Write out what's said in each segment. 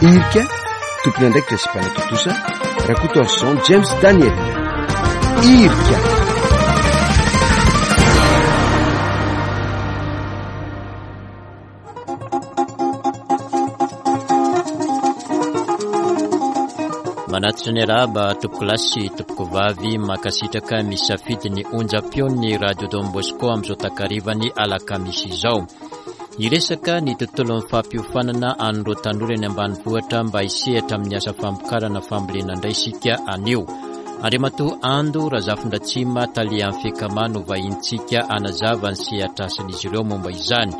Irika, tompon'andraikitra sy mpanatontosa, Rakotoarison James Daniel. Irika. Manatitra ny arahaba tompokolahy sy tompokovavy mankasitraka misafidy ny onjam-peon'ny Radio Don Bosco amin'izao takarivan'ny alakamisy izao. Hiresaka ny tontolon'ny fampiofanana an'ireo tanora eny ambanivohitra mba hisehatra amin'ny asa famokarana fambolena indray isika anio. Andriamatoa Ando Razafindratsima tale amin'ny Fekama no vahintsika hanazava ny sehatr'asan'izy ireo momba izany.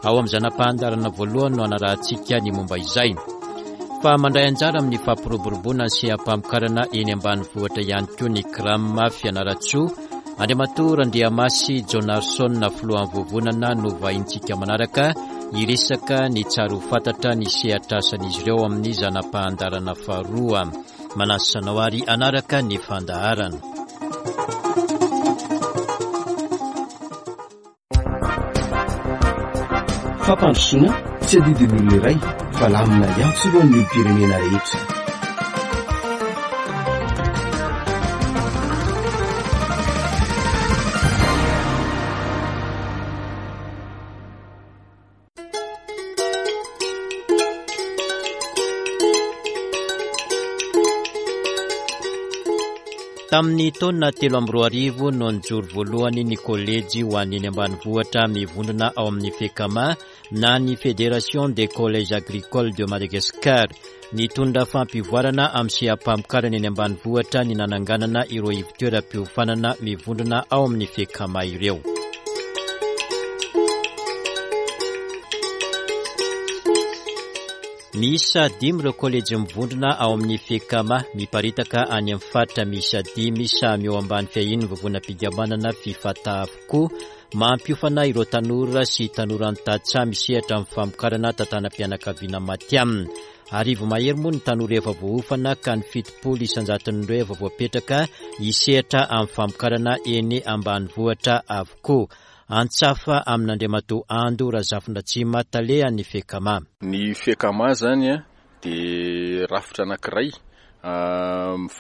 Ao amin'ny zana-pahandarana voalohany no hanarahantsika ny momba izay. Fa mandray anjara amin'ny fampiroboroboana ny seha-pamokarana eny ambanivohitra ihany koa ny CRAM Fianarantsoa. Andriamatoa Randriamasy Jonarson filohan'ny vovonana no vahintsika manaraka hiresaka ny tsara ho fantatra ny sehatr'asan'izy ireo amin'ny zana-pahandarana faharoa. Manasa anao ary hanaraka ny fandaharana. Fampandrosoana tsy adidin'ny olona iray fa lamina iantsorohan'ny olom-pirenena rehetra. Tamin'ny taona 2003 no nijoro voalohany ny kolejy ho an'ny eny ambanivohitra mivondrona ao amin'ny FECAMA na ny Fédération des Collèges Agricoles de Madagascar. Nitondra fampivoarana amin'ny seha-pamokarana eny ambanivohitra ny nananganana ireo ivontoeram-piofanana mivondrona ao amin'ny FECAMA ireo. Miisa dimy ireo kolejy mivondrona ao amin'ny FECAMA, miparitaka any amin'ny faritra miisa dimy samy eo ambany fiahian'ny vovonam-pikambanana Fifata avokoa. Mampiofana ireo tanora sy tanoran'ny tantsaha misehatra amin'ny famokarana tantanam-pianakaviana matihanina. Arivo mahery moa ny tanora efa voaofana ka ny 70 isan-jaton'ireo efa voapetraka hisehatra amin'ny famokarana eny ambanivohitra avokoa. Antsafa amin'Andriamatoa Ando Razafindratsima, talehan'ny Fekama. Ny Fekama izany dia rafitra anankiray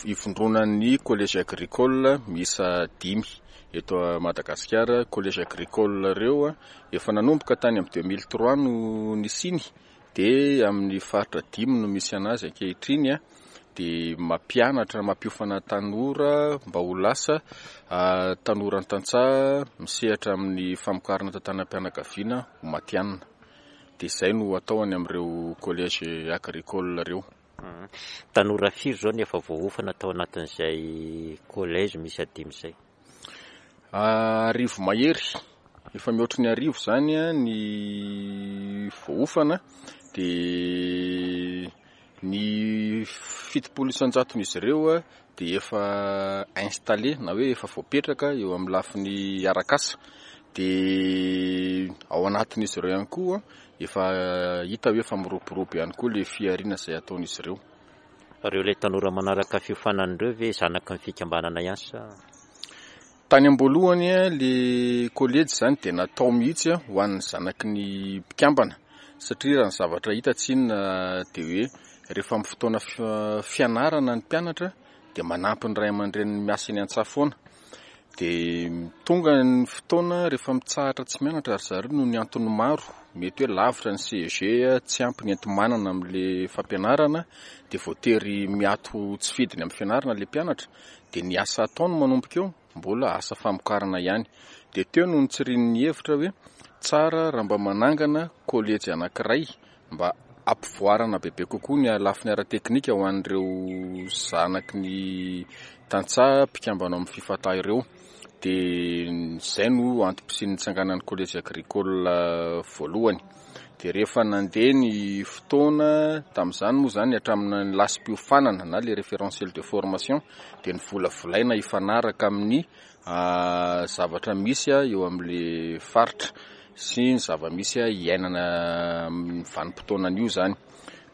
ivondronan'ny collège agricole miisa dimy eto Madagasikara. Collège agricole ireo efa nanomboka tany amin'ny 2003 no nisiany dia amin'ny faritra dimy no misy anazy ankehitriny dia mampianatra, mampiofana tanora mba ho lasa tanora tantsaha misehatra amin'ny famokarana tantanam-pianakaviana ho matihanina. Dia izay no atao any amin'ireo collège agricole ireo. Tanora firy izao no efa voaofana tao anatin'izay collège miisa dimy izay? Arivo mahery, efa mihoatry ny arivo izany ny voaofana dia ny 70 isan-jaton'izy ireo dia efa installé na hoe efa voapetraka eo amin'ny lafiny arak'asa dia ao anatin'izy ireo ihany koa efa hita hoe efa miroborobo ihany koa ilay fihariana izay ataon'izy ireo. Ireo ilay tanora manaraka fiofanana ireo ve zanaky ny fikambanana ihany sa? Tany am-boalohany ilay kolejy izany dia natao mihitsy ho an'ny zanaky ny mpikambana satria raha ny zavatra hita tsinona dia hoe rehefa amin'ny fotoana fianarana ny mpianatra dia manampy ny ray aman-dreniny miasa eny an-tsaha foana. Dia tonga ny fotoana rehefa mitsahatra tsy mianatra ry zareo noho ny antony maro, mety hoe lavitra ny CEG, tsy ampy ny enti-manana amin'ilay fampianarana dia voatery miato tsy fidiny amin'ny fianarana ilay mpianatra. Dia ny asa ataony manomboka eo mbola asa famokarana ihany. Dia teo no nitsirian'ny hevitra hoe tsara raha mba manangana kolejy anankiray mba hampivoarana bebe kokoa ny lafiny ara-teknika ho an'ireo zanaky ny tantsaha mpikambana ao amin'ny Fifata ireo. Dia izay no antom-pisian'ny nitsanganan'ny kolejy agricole voalohany. Dia rehefa nandeha ny fotoana, tamin'izany moa izany hatramin'ny lasim-piofanana na le référentiel de formation dia novolavolaina hifanaraka amin'ny zavatra misy eo amin'le faritra sy ny zava-misy iainana amin'ny vanim-potoanan'io izany.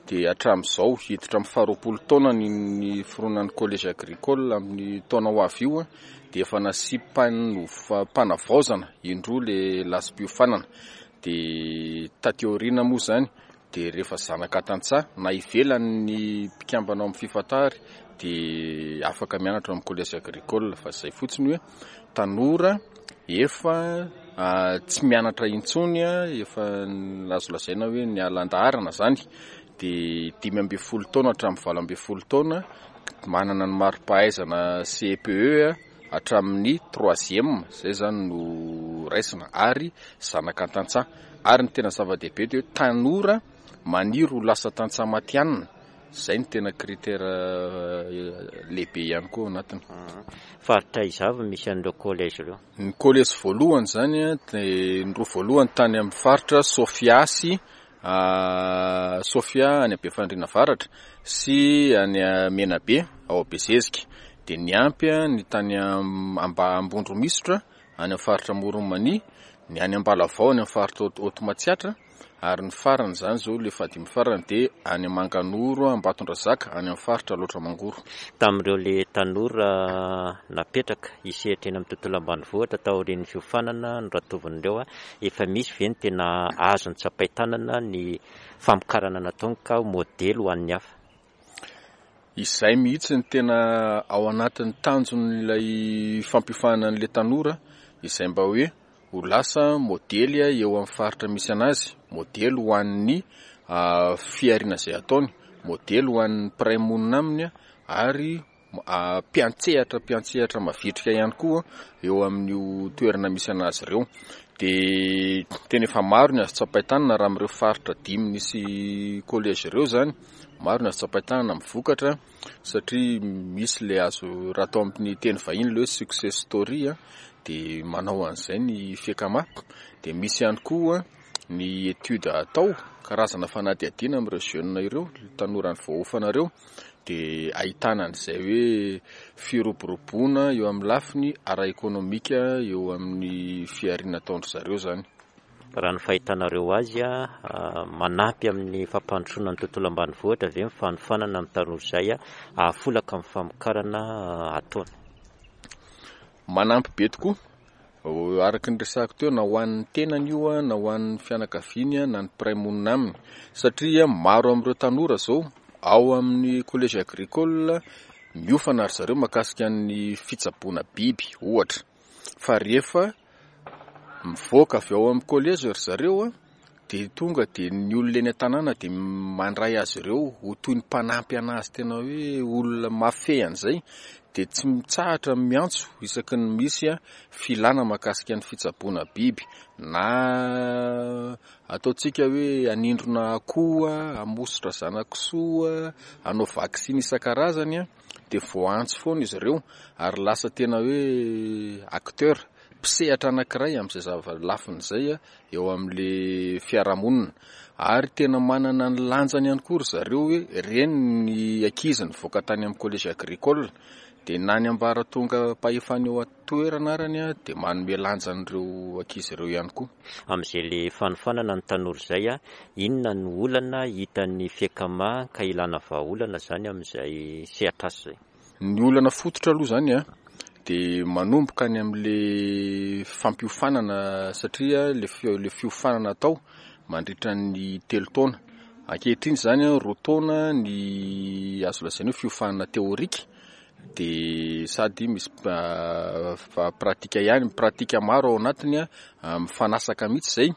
Dia hatramin'izao, hiditra amin'ny faharoapolo taona ny niforonan'ny collège agricole amin'ny taona ho avy io dia efa nasiam-panavaozana indroa le lasim-piofanana. Dia taty aoriana moa izany. dia rehefa zanaka tantsaha na ivelan'ny mpikambana ao amin'ny Fifatary dia afaka mianatra ao amin'ny collège agricole fa izay fotsiny hoe tanora efa tsy mianatra intsony, efa azo lazaina hoe niala an-daharana izany, dia 15 taona hatramin'ny 18 taona, manana ny mari-pahaizana CEPE hatramin'ny troisième, izay izany no raisina, ary zanaka tantsaha. Ary ny tena zava-dehibe dia hoe tanora maniry ho lasa tantsaha matihanina. Izay no tena critère lehibe ihany koa ao anatiny. Faritra aiza avy no misy an'ireo collège ireo? Ny collège voalohany izany dia ny roa voalohany tany amin'ny faritra Sofia sy Sofia any Befandriana Avaratra sy any Menabe ao Bezezika. Dia niampy ny tany Ambondromisotra any amin'ny faritra Amoron'i Mania, ny any Ambalavao any amin'ny faritra Haute Matsiatra. Ary ny farany izany izao, ilay fahadimy farany dia any Manganoro, Ambatondrazaka, any amin'ny faritra Alaotra Mangoro. Tamin'ireo ilay tanora napetraka hisehatra eny amin'ny tontolo ambanivohitra taorian'ny fiofanana noratovin'ireo, efa misy ve ny tena azo notsapain-tanana ny famokarana nataony ka ho modely ho an'ny hafa? Izay mihitsy no tena ao anatin'ny tanjon'ilay fampiofanana an'ilay tanora, izay mba hoe ho lasa modely eo amin'ny faritra misy anazy, modely ho an'ny fihariana izay ataony, modely ho an'ny mpiray monina aminy ary mpiantsehatra mpiantsehatra mavitrika ihany koa eo amin'io toerana misy anazy ireo. Dia tena efa maro ny azo tsapain-tanana raha amin'ireo faritra dimy nisy collège ireo izany, maro ny azo tsapain-tanana amin'ny vokatra satria misy ilay azo raha atao amin'ny teny vahiny ilay hoe success story dia manao an'izay ny Fekama. Dia misy ihany koa ny étude atao, karazana fanadihadiana amin'ireo jeunes ireo, tanora voaofana ireo. dia ahitana an'izay hoe firoboroboana eo amin'ny lafiny ara-ekonomika eo amin'ny fihariana ataon-dry zareo izany. Raha ny fahitanareo azy, manampy amin'ny fampandrosoana ny tontolo ambanivohitra ve ny fanofanana ny tanora izay hahafolaka amin'ny famokarana ataony? Manampy be tokoa. Araka ny resahako teo, na ho an'ny tenany io na ho an'ny fianakaviany na ny mpiray monina aminy. Satria maro amin'ireo tanora izao ao amin'ny collège agricole miofana ry zareo mahakasika ny fitsaboana biby ohatra. Fa rehefa mivoaka avy ao amin'ny collège ry zareo dia tonga dia ny olona eny an-tanàna dia mandray azy ireo ho toy ny mpanampy anazy tena hoe olona mahafehy an'izay dia tsy mitsahatra ny miantso isaky ny misy filana mahakasika ny fitsaboana biby na ataontsika hoe hanindrona akoho, hamosotra zana-kisoa, hanao vaksiny isan-karazany dia voaantso foana izy ireo ary lasa tena hoe acteur, mpisehatra anankiray amin'izay zava-lafiny izay eo amin'le fiarahamonina ary tena manana ny lanjany ihany koa ry zareo hoe ireny ny ankizy nivoaka tany amin'ny collège agricole dia na ny ambaratonga-pahefana eo an-toerana arany dia manome lanja an'ireo ankizy ireo ihany koa. Amin'izay le fanofanana ny tanora izay, inona no olana hitan'ny Fiekama ka ilana vahaolana izany amin'izay sehatr'asa izay? Ny olana fototra aloha izany an, dia manomboka any amin'ilay fampiofanana satria ilay fiofanana atao mandritra ny telo taona. Ankehitriny izany an, roa taona ny azo lazaina hoe fiofanana théorique dia sady misy pratique ihany, pratique maro ao anatiny an, mifanasaka mihitsy izay.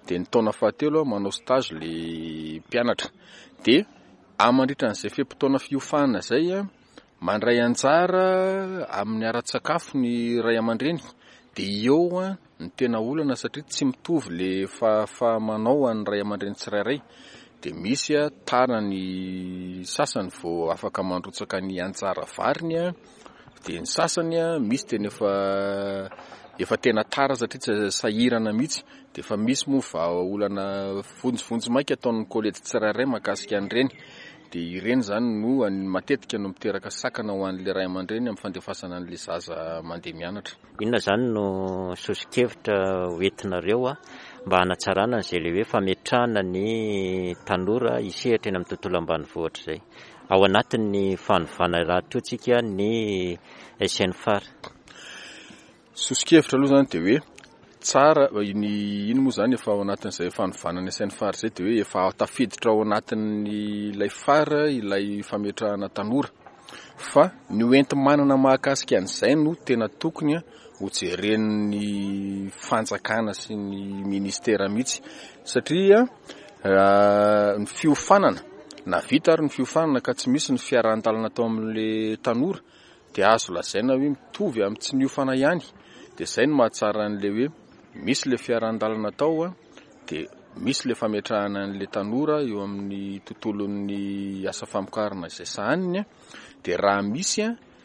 Dia ny taona fahatelo manao stage ilay mpianatra. Dia Ary mandritra an'izay fe-potoana fiofanana izay, mandray anjara amin'ny ara-tsakafo ny ray aman-dreny. Dia eo ny tena olana satria tsy mitovy le fahafaha-manao an'ny ray aman-dreny tsirairay. Dia misy tara ny sasany vao afaka mandrotsaka ny anjara variny, dia ny sasany misy tena efa efa tena tara satria tsy sahirana mihitsy. Dia efa misy moa vahaolana vonjivonjy maika ataon'ny kolejy tsirairay mahakasika an'ireny. Dia ireny izany no matetika no miteraka sakana ho an'ilay ray aman-dreny amin'ny fandefasana an'ilay zaza mandeha mianatra. Inona izany no soso-kevitra hoentinareo mba hanatsarana an'izay ilay hoe fametrahana ny tanora hisehatra eny amin'ny tontolo ambanivohitra izay? Ao anatin'ny fanovana rahateo tsika ny SNFAR. Soso-kevitra aloha izany dia hoe. Tsara, ny iny moa izany efa ao anatin'izay fanovana ny asain'ny far izay dia hoe efa tafiditra ao anatin'ilay far ilay fametrahana tanora. Fa ny ho enti-manana mahakasika an'izay no tena tokony ho jeren'ny fanjakana sy ny ministera mihitsy satria ny fiofanana na vita ary ny fiofanana ka tsy misy ny fiarahan-dalana atao amin'le tanora dia azo lazaina hoe mitovy amin'ny tsy niofana ihany. Dia izay no mahatsara an'ilay hoe misy ilay fiarahan-dalana atao dia misy ilay fametrahana an'ilay tanora eo amin'ny tontolon'ny asa famokarana izay sahaniny dia raha misy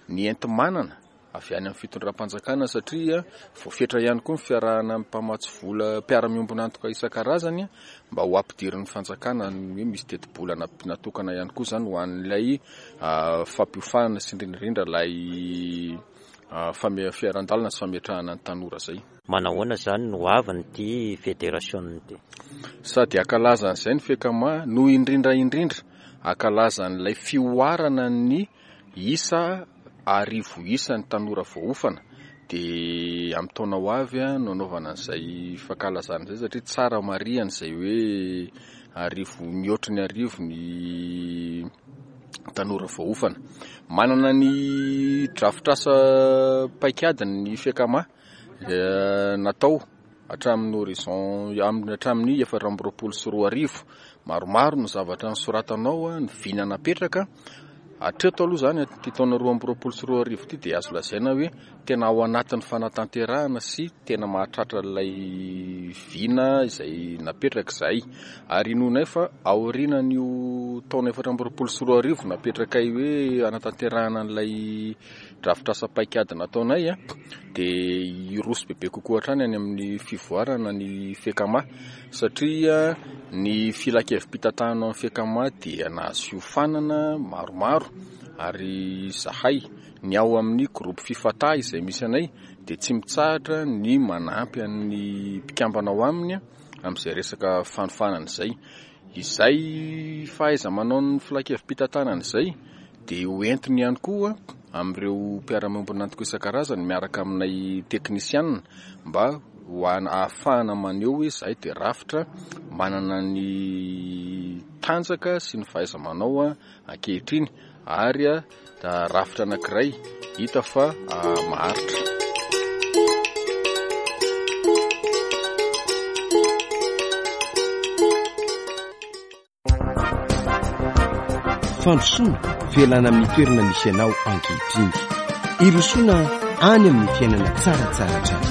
ny enti-manana avy any amin'ny fitondram-panjakana satria voafetra ihany koa ny fiarahana amin'ny mpamatsy vola mpiara-miombon'antoka isan-karazany mba ho ampidirin'ny fanjakana ny hoe misy tetibola natokana ihany koa izany ho an'ilay fampiofanana sy indrindra indrindra ilay fiaran-dalana sy fametrahana ny tanora izay. Manahoana izany no hoavin'ity federasiona ity? Sady hankalaza an'izay ny Fecama no indrindra indrindra hankalaza an'ilay fihoarana ny isa arivo isa ny tanora voaofana dia amin'ny taona ho avy no anaovana an'izay fankalazana izay satria tsara marihana izay hoe arivo mihoatry ny arivo ny tanora voaofana. Manana ny drafitr'asa paikadiny ny Fecama natao hatramin'ny horizon hatramin'ny 2024. Maromaro ny zavatra nosoratana ao, ny vina napetraka. Hatreto aloha izany ity taona 2022 ity dia azo lazaina hoe tena ao anatin'ny fanatanterahana sy tena mahatratra ilay vina izay napetraka izahay. Ary inoanay fa aorianan'io taona 2024 napetrakay hoe hanatanterahana an'ilay drafitr'asa paikady nataonay dia hiroso bebe kokoa hatrany any amin'ny fivoarana ny Fecama satria ny filankevi-pitantanana amin'ny Fecama dia nahazo fiofanana maromaro ary izahay ny ao amin'ny groupe Fifata izay misy anay dia tsy mitsahatra ny manampy an'ny mpikambana ao aminy amin'izay resaka fanofanana izay. Izay fahaiza-manaon'ny filankevi-pitantanana izay dia ho entiny ihany koa amin'ireo mpiara-miombon'antoka isan-karazany miaraka aminay teknisianina mba ho ahafahana maneho hoe izahay dia rafitra manana ny tanjaka sy ny fahaiza-manao ankehitriny ary rafitra anankiray hita fa maharitra. Fandrosoana, fialana amin'ny toerana misy anao ankehitriny. Hirosoana any amin'ny fiainana tsaratsara hatrany.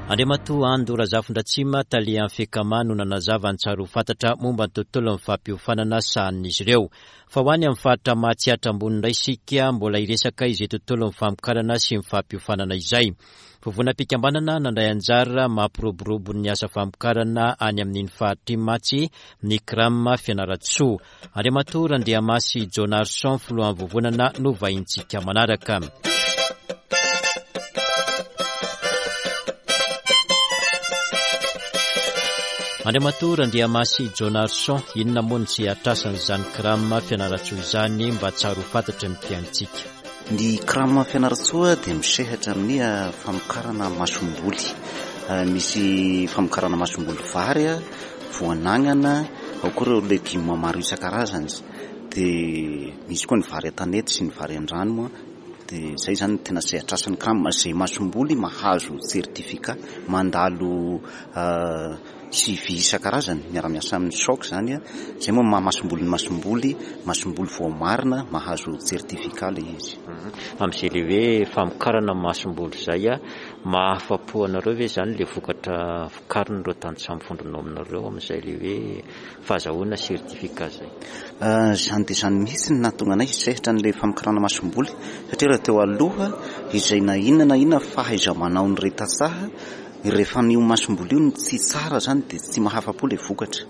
Andriamatoa Ando Razafindratsima, tale Fecama no nanazava ny tsara ho fantatra momba ny tontolon'ny fampiofanana sahanin'izy ireo. Fa ho any amin'ny faritra Mahatsiatra ambony indray isika mbola hiresaka izay tontolon'ny famokarana sy ny fampiofanana izay. Vovonam-pikambanana nandray anjara mampiroborobo ny asa famokarana any amin'iny faritra iny mantsy ny Cram Fianarantsoa. Andriamatoa Randriamasy Jonarson, filohan'ny vovonana no vahintsika manaraka. Andriamatoa Randriamasy Jonarson, inona moa no tsy hatrasan'izany Cram Fianarantsoa izany mba tsara ho fantatry ny mpihainontsika? Ny Cram Fianarantsoa dia misehatra amin'ny famokarana masomboly. Misy famokarana masomboly vary, voan'agnana, ao koa ireo legioma maro isan-karazany. Dia misy koa ny vary an-tanety sy ny vary an-drano moa. Dia izay izany no tena sehatr'asan'ny Cram, izay masomboly mahazo certificat, mandalo suivi isan-karazany, miara-miasa amin'ny choc izany. Izay moa no maha masomboly ny masomboly, masomboly voamarina, mahazo certificat ilay izy. Amin'izay ilay hoe famokarana masomboly izay, mahafa-po anareo ve izany ilay vokatra vokarin'ireo tantsaha mivondrona ao aminareo amin'izay ilay hoe fahazahoana certificat izay? Izany dia izany mihitsy no nahatonga anay hisehatra an'ilay famokarana masomboly satria raha teo aloha izay na inona na inona fahaiza-manaon'ireo tantsaha rehefa an'io masomboly io no tsy tsara izany dia tsy mahafa-po ilay vokatra.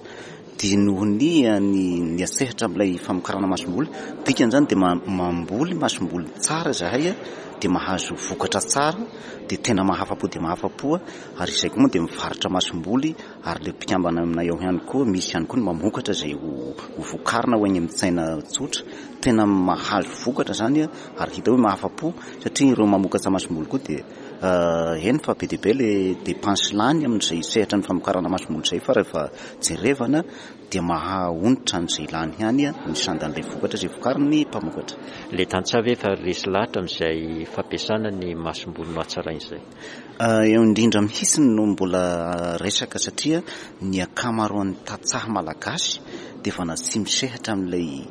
Dia noho ny ny niasehatra amin'ilay famokarana masomboly, dikan'izany dia mamboly masomboly tsara izahay. dia mahazo vokatra tsara dia tena mahafa-po dia mahafa-po ary izay koa moa dia mivarotra masomboly ary ilay mpikambana aminay ao ihany koa misy ihany koa ny mamokatra izay ho vokarina ho eny amin'ny tsena tsotra. Tena mahazo vokatra izany ary hita hoe mahafa-po satria ireo mamokatra masomboly koa dia eny fa be dia be ilay dépense lany amin'izay sehatra ny famokarana masomboly izay fa rehefa jerevana dia maha-onitra an'izay lany ihany ny sandan'ilay vokatra izay vokarin'ny mpamokatra. Ilay tantsaha ve efa resy lahatra amin'izay fampiasana ny masomboly nohatsaraina izay? Eo indrindra mihitsy no mbola resaka satria ny ankamaroan'ny tantsaha malagasy dia vana tsy misehatra amin'ilay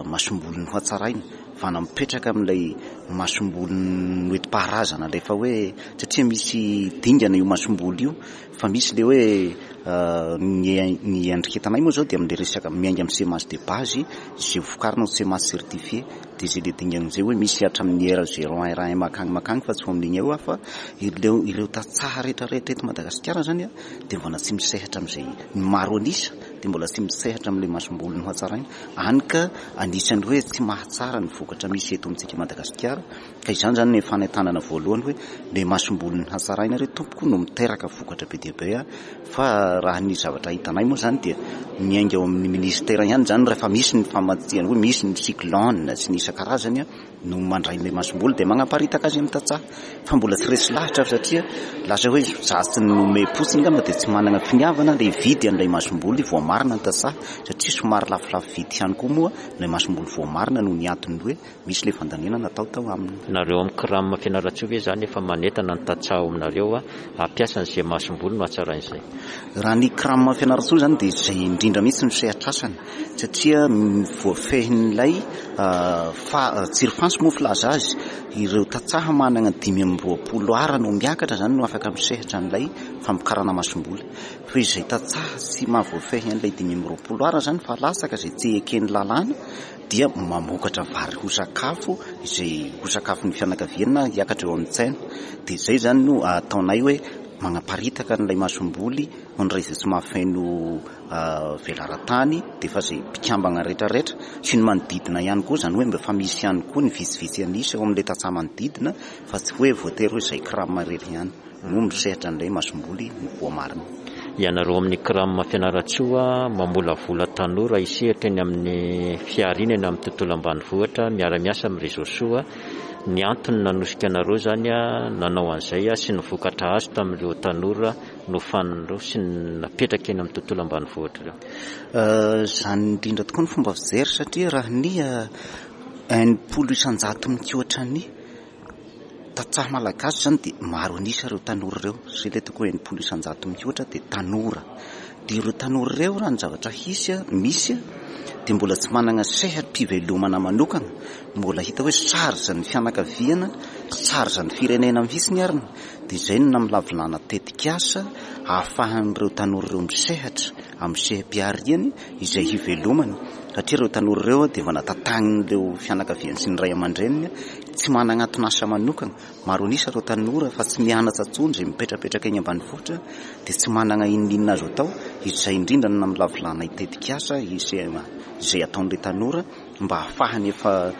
masomboly nohatsaraina, vana mipetraka amin'ilay masomboly noentim-paharazana ilay efa hoe satria misy dingana io masomboly io fa misy ilay hoe ny ny iandriketanay moa izao dia amin'ilay resaka miainga amin'ny semence de base izay vokarina ho semence certifiée dia izay ilay dingana izay hoe misy hatramin'ny R zéro un R un makagny makagny fa tsy ho amin'igny eo aho fa ireo ireo tantsaha rehetra rehetra eto Madagasikara izany a dia mbola tsy misehatra amin'izay ny maro an'isa dia mbola tsy misehatra amin'ilay masomboly nohatsaraina any ka anisan'ny hoe tsy mahatsara ny vokatra misy eto amintsika Madagasikara Ka izany izany ny fanentanana voalohany hoe le masomboly hatsaraina re tompoko no miteraka vokatra be dia be fa raha ny zavatra hitanay moa izany dia miainga ao amin'ny ministera ihany izany rehefa misy ny famatsiana hoe misy ny cyclone sy ny isan-karazany no mandray ilay masomboly dia manaparitaka azy amin'ny tantsaha fa mbola tsy resy lahatra aho satria lasa hoe za tsy nomem-potsiny angamba dia tsy manana finiavana le hividy an'ilay masomboly voamarina ny tantsaha satria somary lafolafo vidy ihany koa moa ilay masomboly voamarina noho ny antony hoe Misy ilay fandaniana natao tao aminy. Nareo amin'ny CRAM Fianarantsoa ve izany efa manentana ny tantsaha ao aminareo hampiasa an'izay masomboly no hatsaraina izay? Raha ny CRAM Fianarantsoa izany dia izay indrindra mihitsy no sehatr'asany satria voafehin'ilay fa tsirifantsy moa filaza azy, ireo tantsaha manana 25 ara no miakatra izany no afaka misehatra an'ilay famokarana masomboly. Fa izay tantsaha tsy mahavoafehy an'ilay 25 ara izany fa latsaka izay tsy eken'ny lalàna dia mamokatra vary ho sakafo izay ho sakafon'ny fianakaviana hiakatra eo amin'ny tsena. Dia izay izany no ataonay hoe manaparitaka an'ilay masomboly ho an'ireo izay tsy mahafeno velaran-tany dia efa izay mpikambana rehetrarehetra sy ny manodidina ihany koa, izany hoe mba efa misy ihany koa ny vitsivitsy an'isa eo amin'ilay tantsaha manodidina fa tsy hoe voatery hoe izay CRAM irery ihany. no misehatra an'ilay masomboly no voamarina. Ianareo amin'ny CRAM Fianarantsoa mamolavola tanora hisehatra eny amin'ny fihariana eny amin'ny tontolo ambanivohitra miara-miasa amin'ny Réseau Soa. Ny antony nanosika anareo izany nanao an'izay sy ny vokatra azo tamin'ireo tanora nofanin'ireo sy napetraka eny amin'ny tontolo ambanivohitra ireo. Izany indrindra tokoa ny fomba fijery satria raha ny 60% mihoatra ny Tantsaha malagasy izany dia maro an'isa ireo tanora ireo, izay ilay tokony hoe 60% mihoatra dia tanora. Dia ireo tanora ireo raha ny zavatra hisy, misy dia mbola tsy manana seha-pivelomana manokana, mbola hita hoe charge ny fianakaviana, charge ny firenena mihitsy ary dia izay no namolavolana tetikasa ahafahan'ireo tanora ireo misehatra amin'ny seha-pihariany izay hivelomany satria ireo tanora ireo dia efa natantanin'ireo fianakaviany sy ny ray aman-dreniny tsy manana anton'asa manokana. Maro an'isa ireo tanora fa tsy mianatra intsony izay mipetrapetraka eny ambanivohitra dia tsy manana inon'inona azo atao. Izay indrindra no namolavolana tetikasa izay ataon'ireo tanora mba hahafahany efa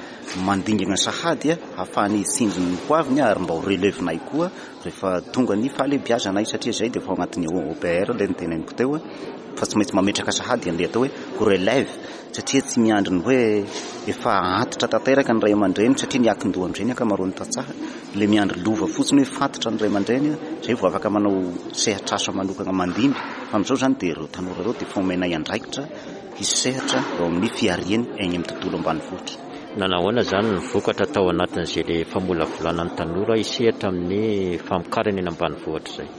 mandingana sahady, hahafahany hitsinjo ny hoaviny ary mba ho relève-nay koa rehefa tonga ny fahalehibiazanay satria izay dia efa ao anatin'ny OPR ilay noteneniko teo fa tsy maintsy mametraka sahady an'ilay atao hoe ho relève satria tsy miandry ny hoe efa antitra tanteraka ny ray aman-dreny satria ny akin-doha amin'izay ny ankamaroan'ny tantsaha ilay miandry lova fotsiny hoe fantatra ny ray aman-dreny izay vao afaka manao sehatr'asa manokana mandimby fa amin'izao izany dia ireo tanora ireo dia efa omenay andraikitra hisehatra eo amin'ny fihariany eny amin'ny tontolo ambanivohitra. Nanahoana izany ny vokatra tao anatin'izay le famolavolana ny tanora hisehatra amin'ny famokarana eny ambanivohitra izay?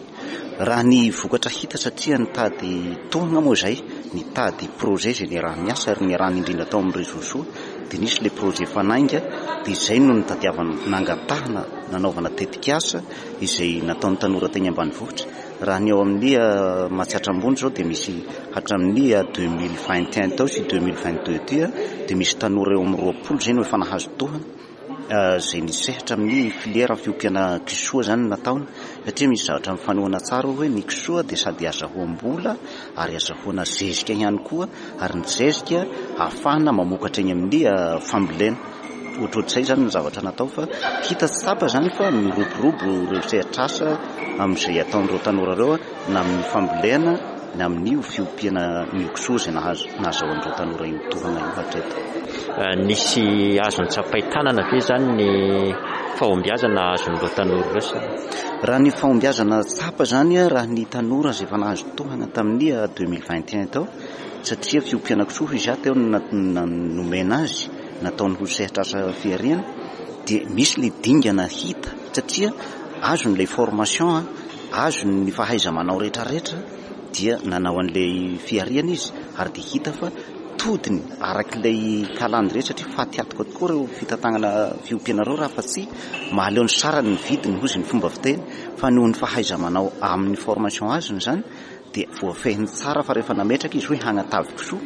Raha ny vokatra hita satria nitady tohana moa izay, nitady projet izay niaraha-niasa ary niarahana indrindra tao amin'ny Réseau Soa dia nisy ilay projet Fanainga dia izay no nitadiavana nangatahana nanaovana tetikasa izay nataon'ny tanora teny ambanivohitra. Raha ny ao amin'ny Matsiatra Ambony izao dia misy hatramin'ny 2021 tao sy 2022 ity dia misy tanora eo amin'ny 20 izay no efa nahazo tohana izay nisehatra amin'ny filière fiompiana kisoa izany no nataony satria misy zavatra mifanohana tsara hoe ny kisoa dia sady azahoam-bola ary azahoana zezika ihany koa ary ny zezika ahafahana mamokatra eny amin'ny fambolena. Ohatrohatr'izay izany ny zavatra natao fa hita sy tsapa izany fa miroborobo ireo sehatr'asa amin'izay ataon'ireo tanora ireo na amin'ny fambolena na amin'ny fiompiana ny kisoa izay nahazo nahazahoan'ireo tanora io tohana io hatreto. Nisy azo notsapain-tanana ve izany ny fahombiazana azon'ireo tanora ireo sa? Raha ny fahombiazana tsapa izany raha ny tanora izay efa nahazo tohana tamin'ny 2021 tao satria fiompiana kisoa hoy izaho teo no nomena azy nataony ho sehatr'asa fihariana dia misy ilay dingana hita satria azony ilay formation, azony ny fahaiza-manao rehetrarehetra dia nanao an'ilay fihariana izy ary dia hita fa todiny arak'ilay calendrier satria faty antoka tokoa ireo fitantanana fiompiana ireo raha fa tsy mahaleo ny sarany ny vidiny hozy ny fomba fiteny fa noho ny fahaiza-manao amin'ny formation azony izany dia voafehiny tsara fa rehefa nametraka izy hoe hagnatavy kisoa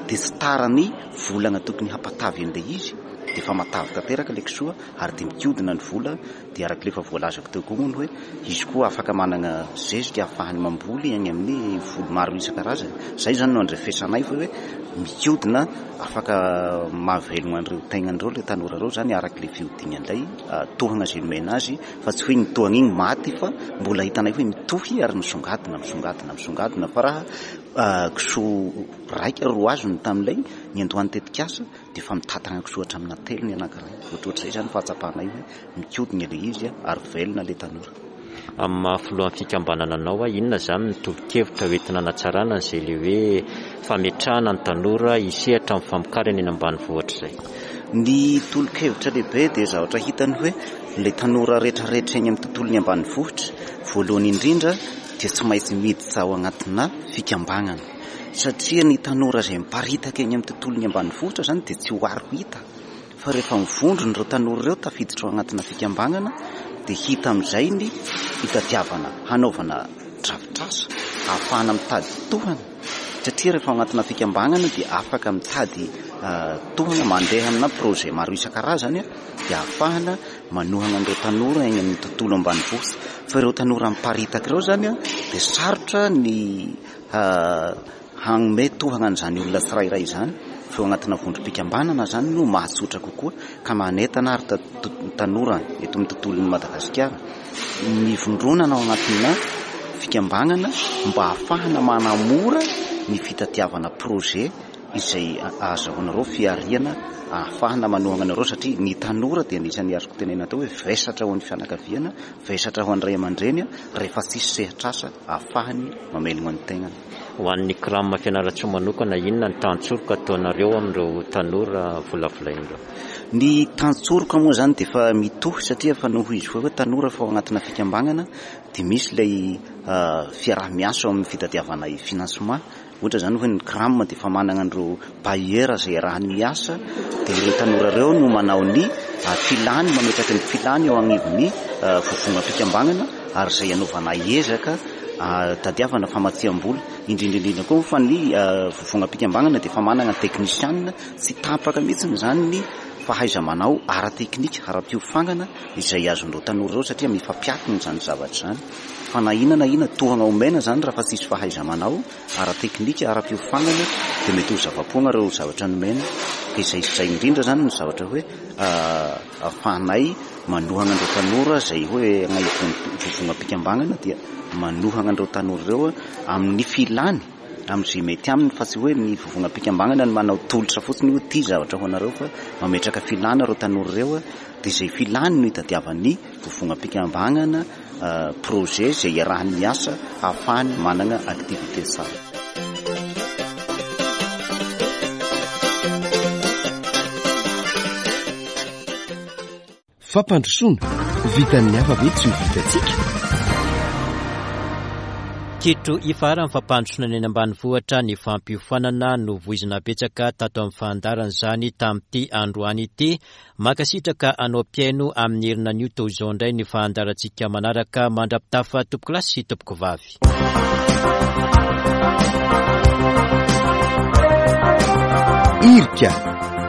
dia tsy tara ny volana tokony hampatavy an'ilay izy dia efa matavy tanteraka ilay kisoa ary dia mikodina ny vola dia araka ilay efa voalazako teo koa moa ny hoe izy koa afaka manana zezika ahafahany mamboly any amin'ny voly maro isan-karazany. Izay izany no andrefesanay fa hoe mikodina afaka mahavelogna an'ireo tegnany ireo ilay tanora ireo izany araka ilay fihodinan'ilay tohana izay nomena azy fa tsy hoe ny tohana iny maty fa mbola hitanay hoe mitohy ary misongadina misongadina misongadina fa raha kisoa raika ro azony tamin'ilay niandohan'ny tetikasa dia efa mitantana kisoa hatramin'ny telo ny anankiray. Ohatrohatr'izay izany fahatsapanay hoe mikodina ilay izy ary velona ilay tanora. Amin'ny maha filohan'ny fikambanana anao, inona izany ny tolo-kevitra hoentina hanatsarana an'izay ilay hoe fametrahana ny tanora hisehatra amin'ny famokarana eny ambanivohitra izay? Ny tolo-kevitra lehibe dia zavatra hitany hoe ilay tanora rehetrarehetra eny amin'ny tontolon'ny ambanivohitra, voalohany indrindra dia tsy maintsy miditra ao anatina fikambanana satria ny tanora izay miparitaka eny amin'ny tontolon'ny ambanivohitra izany dia tsy ho ary ho hita fa rehefa mivondrona ireo tanora ireo tafiditra ao anatina fikambanana dia hita amin'izay ny fitadiavana hanaovana drafitrasa ahafahana mitady tohana satria rehefa ao anatina fikambanana dia afaka mitady tohana mandeha amina projet maro isan-karazany dia ahafahana manohana an'ireo tanora eny amin'ny tontolo ambanivohitra fa ireo tanora miparitaka ireo izany dia sarotra ny Hanome tohana an'izany olona tsirairay izany fa eo anatina vondrom-pikambanana izany no mahatsotra kokoa ka manentana ary tanora eto amin'ny tontolon'i Madagasikara ny vondronana ao anatina fikambanana mba hahafahana manamora ny fitadiavana projet izay ahazahoanareo fihariana ahafahana manohana anareo satria ny tanora dia anisan'ny azoko tenenina teo hoe vesatra ho an'ny fianakaviana, vesatra ho an'ny ray aman-dreny rehefa tsisy sehatr'asa ahafahany mamelogna ny tegnany. Ho an'ny CRAM Fianarantsoa manokana, inona ny tantsoroka ataonareo amin'ireo tanora volavolaina ireo? Ny tantsoroka moa izany dia efa mitohy satria efa noho izy hoe tanora efa ao anatina fikambanana dia misy ilay fiaraha-miasa ao amin'ny fitadiavana financement. Ohatra izany hoe ny CRAM dia efa manana an'ireo bailleur izay iarahany miasa dia ireo tanora ireo no manao ny filany, mametraka ny filany eo anivon'ny vovonam-pikambanana ary izay anaovana ezaka tadiavana famatsiam-bola. Indrindra indrindra koa fa ny vovonam-pikambanana dia efa manana teknisianina, tsy tapaka mihitsy izany ny fahaiza-manao ara-teknika, ara-piofanana izay azon'ireo tanora ireo satria mifampiankina izany zavatra izany. Fa na inona na inona tohana omena izany raha fa tsisy fahaiza-manao ara-teknika, ara-piofanana dia mety ho zava-poana ireo zavatra nomena. Ka izay sy izay indrindra izany no zavatra hoe ahafahanay manohana an'ireo tanora izay hoe vovonam-pikambanana dia manohana an'ireo tanora ireo amin'ny filany, amin'izay mety aminy fa tsy hoe ny vovonam-pikambanana no manao tolotra fotsiny hoe ity zavatra ho anareo fa mametraka filana ireo tanora ireo dia izay filany no itadiavan'ny vovonam-pikambanana projet izay iarahany miasa ahafahany manana activité tsara. Fampandrosoana, vitan'ny hafa ve tsy ho vitantsika? Kitro ifaharan'ny fampandrosoana ny eny ambanivohitra ny fampiofanana novoizina betsaka tato amin'ny fandaharana izany tamin'ity androany ity. Mankasitraka anao mpihaino amin'ny herina anio toy izao indray ny fahandarantsika manaraka mandra-pitafa tompokolahy sy tompokovavy. Irika.